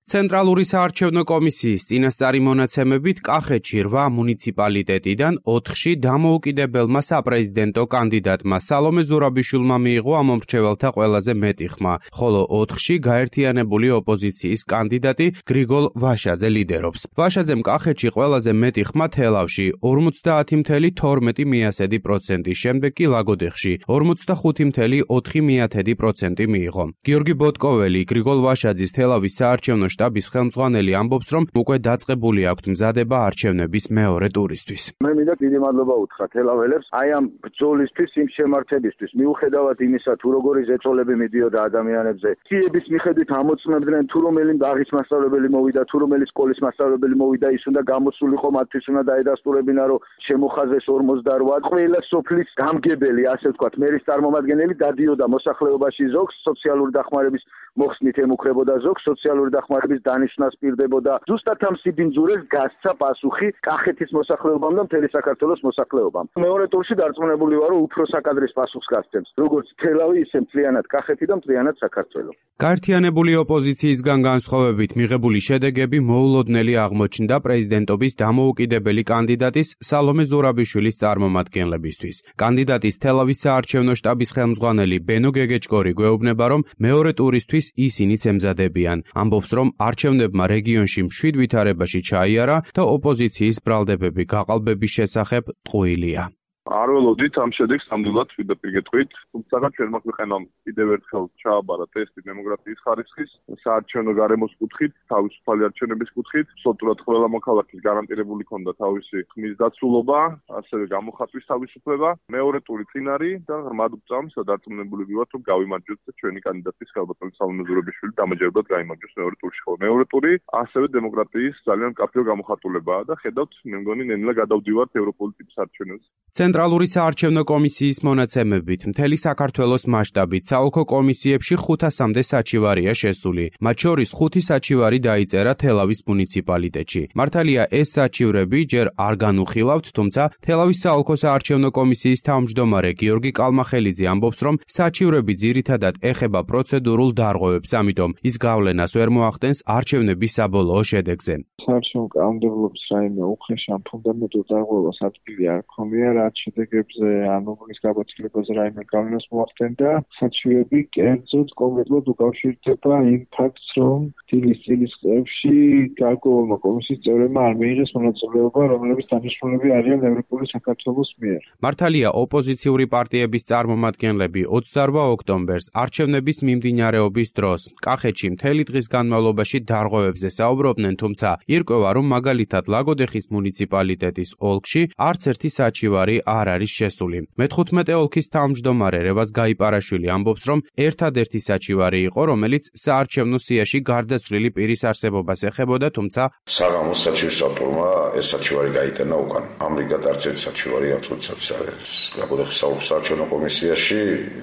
ცენტრალური საარჩევნო კომისიის წინასწარი მონაცემებით კახეთში 8 მუნიციპალიტეტიდან 4-ში დამოუკიდებელმა საპრეზიდენტო კანდიდატმა სალომე ზურაბიშვილმა მიიღო ამომრჩეველთა ყველაზე მეტი ხმა, ხოლო 4-ში გაერთიანებული ოპოზიციის კანდიდატი გრიგოლ ვაშაძე ლიდერობს. ვაშაძემ კახეთში ყველაზე მეტი ხმა თელავში 50.12%, შემდეგ კი ლაგოდეხში 45.4% მიიღო. გიორგი ბოტკოველი, გრიგოლ ვაშაძის თელავის საარჩევნო შტაბის ხელმძღვანელი ამბობს, რომ უკვე დაწყებული აქვთ მზადება არჩევნების მეორე ტურისთვის. მე მინდა დიდი მადლობა უთხრა თელაველებს აი ამ ბრძოლისთვის, იმ შემართებისთვის, მიუხედავად იმისა, თუ როგორი ზეწოლები მიდიოდა ადამიანებზე, ციების მიხედვით ამოწმებდნენ, თუ რომელი ბაღის მასწავლებელი მოვიდა, თუ რომელი სკოლის მასწავლებელი მოვიდა, ის უნდა გამოსულიყო, მათთვის უნდა დაედასტურებინა, რომ შემოხაზეს 48. ყველა სოფლის გამგებელი, ასე ვთქვათ, მერის წარმომადგენელი დადიოდა მოსახლეობაში ზოგს, სოციალური დახმარების მოხსნით ემუქრებოდა ზოგს, სოციალური დახმარების დანიშვნას პირდებოდა. ზუსტად ამ სიბინძურეს გასცა პასუხი კახეთის მოსახლეობამ და მთელი საქართველოს მოსახლეობამ. მეორე ტურში დარწმუნებული ვარ, რომ უფრო საკადრის პასუხს გასცემს, როგორც თელავი, ისე მთლიანად კახეთი და მთლიანად საქართველო. გაერთიანებული ოპოზიციისგან განსხვავებით მიღებული შედეგები მოულოდნელი აღმოჩნდა პრეზიდენტობის დამოუკიდებელი კანდიდატის სალომე ზურაბიშვილის წარმომადგენლებისთვის. კანდიდატის თელავის საარჩევნო შტაბის ხელმძღვანელი ბენო გეგეჭკორი გვეუბნება, რომ მეორე ტურისთვის ისინიც ემზადებიან. ამბობს, რომ არჩევნებმა რეგიონში მშვიდ ვითარებაში ჩაიარა და ოპოზიციის ბრალდებები გაყალბების შესახებ ტყუილია. არ ველოდით ამ შედეგს ნამდვილად პირდაპირ გეტყვით, თუმცა ჩვენმა ქვეყანამ კიდევ ერთხელ ჩააბარა ტესტი დემოკრატიის ხარისხის, საარჩევნო გარემოს კუთხით, თავისუფალი არჩევნების კუთხით, სოჭრად ყველა მოქალაქის გარანტირებული ქონდა თავისი ხმის დაცულობა, ასევე გამოხატვის თავისუფლება. მეორე ტური წინ არის და ღრმად ვწამს და დარწმუნებული ვივართ, რომ გავიმარჯვებთ და ჩვენი კანდიდატის ხალბატონი სალომე ზურაბიშვილი დამაჯერებლად გაიმარჯვებს მეორე ტურში. ხოლო მეორე ტური ასევე დემოკრატიის ძალიან მკაფიო გამოხატულებაა და ხედავთ, მე მგონი ნელა გადავდივართ ევროპული ტიპის არჩევნებს. ცენტრალური საარჩევნო კომისიის მონაცემებით მთელი საქართველოს მასშტაბით საოლქო კომისიებში 500-მდე საჩივარია შესული. მათ შორის 5 საჩივარი დაიწერა თელავის მუნიციპალიტეტში. მართალია ეს საჩივრები ჯერ არ განუხილავთ, თუმცა თელავის საოლქო საარჩევნო კომისიის თავმჯდომარე გიორგი კალმახელიძე ამბობს, რომ საჩივრები ძირითადად ეხება პროცედურულ დარღვევებს, ამიტომ ის გავლენას ვერ მოახდენს არჩევნების საბოლოო შედეგზე. საარჩევნო კანონმდებლობის რაიმე უხეშ ან ფუნდამენტურ დარღვევას ადგილი არ ჰქონია, რაც შედეგებზე ან უბნის გაბაცილებას რაიმე გავლენას მოახდენდა. საჩივრები კერძოდ კონკრეტულად უკავშირდება იმ ფაქტს, რომ დილის წილის წლებში გარკვეულმა კომისიის წევრებმა არ მიიღეს მონაწილეობა, რომლებიც დანიშნულები არიან ევროპული საქართველოს მიერ. მართალია ოპოზიციური პარტიების წარმომადგენლები 28 ოქტომბერს არჩევნების მიმდინარეობის დროს კახეთში მთელი დღის განმავლობაში დარღვევებზე საუბრობდნენ, თუმცა ირკვევა, რომ მაგალითად ლაგოდეხის მუნიციპალიტეტის ოლქში არც ერთი საჩივარი არ არის შესული. მე-15 ოლქის თავმჯდომარე რევაზ გაიპარაშვილი ამბობს, რომ ერთადერთი საჩივარი იყო, რომელიც საარჩევნო სიაში გარდაცვლილი პირის არსებობას ეხებოდა, თუმცა საღამოს საჩივარმა ეს საჩივარი გაიტანა უკან. ამრიგად არც ერთი საჩივარი ამ წუთის არ არის ლაგოდეხის საარჩევნო კომისიაში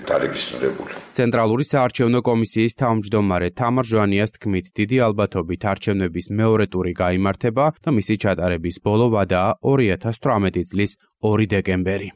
დარეგისტრირებული. ცენტრალური საარჩევნო კომისიის თავმჯდომარე თამარ ჟვანიას თქმით, დიდი ალბათობით არჩევნების მეორე ტური გაიმართება და მისი ჩატარების ბოლო ვადაა 2018 წლის 2 დეკემბერი.